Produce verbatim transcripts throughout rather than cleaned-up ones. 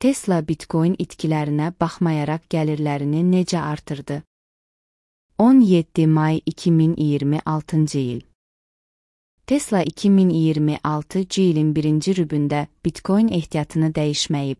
Tesla Bitcoin itkilərinə baxmayaraq gəlirlərini necə artırdı? on yeddi may iki min iyirmi altıncı il. Tesla iki min iyirmi altıncı ilin birinci rübündə Bitcoin ehtiyatını dəyişməyib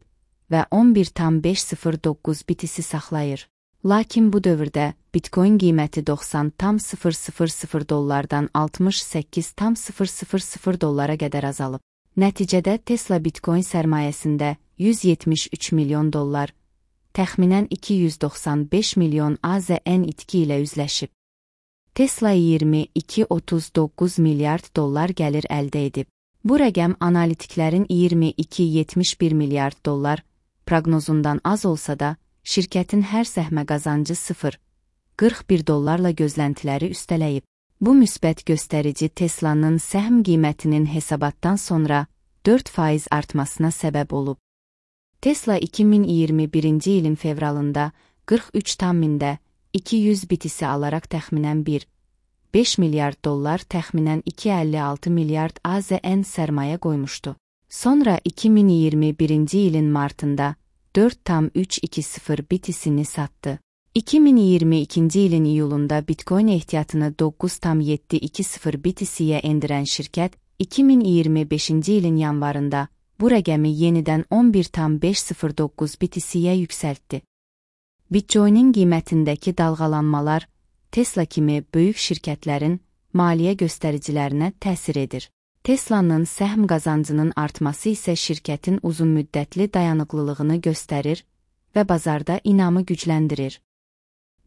və on bir tam beş sıfır doqquz bitisi saxlayır. Lakin bu dövrdə Bitcoin qiyməti doxsan tam sıfır sıfır sıfır dollardan altmış səkkiz tam sıfır sıfır sıfır dollara qədər azalıb. Nəticədə Tesla Bitcoin sərmayəsində yüz yetmiş üç milyon dollar, təxminən iki yüz doxsan beş milyon A Z N itki ilə üzləşib. Tesla iyirmi iki otuz doqquz milyard dollar gəlir əldə edib. Bu rəqəm analitiklərin iyirmi iki yetmiş bir milyard dollar proqnozundan az olsa da, şirkətin hər səhmə qazancı sıfır qırx bir dollarla gözləntiləri üstələyib. Bu müsbət göstərici Teslanın səhm qiymətinin hesabatdan sonra dörd faiz artmasına səbəb olub. Tesla iki min iyirmi birinci ilin fevralında qırx üç tam mində iki yüz bitisi alaraq təxminən bir nöqtə beş milyard dollar, təxminən iki nöqtə əlli altı milyard A Z N sərmayə qoymuşdu. Sonra iki min iyirmi birinci ilin martında dörd tam üç iki sıfır bitisini satdı. iki min iyirmi ikinci ilin iyulunda Bitcoin ehtiyatını doqquz tam yeddi iki sıfır bitisiyə endirən şirkət, iki min iyirmi beşinci ilin yanvarında bu rəqəmi yenidən on bir tam beş sıfır doqquz bitisiyə yüksəltdi. Bitcoin'in qiymətindəki dalğalanmalar Tesla kimi böyük şirkətlərin maliyyə göstəricilərinə təsir edir. Tesla'nın səhm qazancının artması isə şirkətin uzunmüddətli dayanıqlılığını göstərir və bazarda inamı gücləndirir.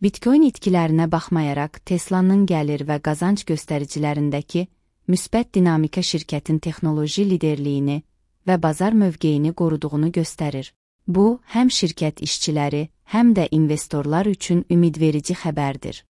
Bitcoin itkilərinə baxmayaraq Tesla'nın gəlir və qazanc göstəricilərindəki müsbət dinamika şirkətin texnoloji liderliyini və bazar mövqeyini qoruduğunu göstərir. Bu, həm şirkət işçiləri, həm də investorlar üçün ümidverici xəbərdir.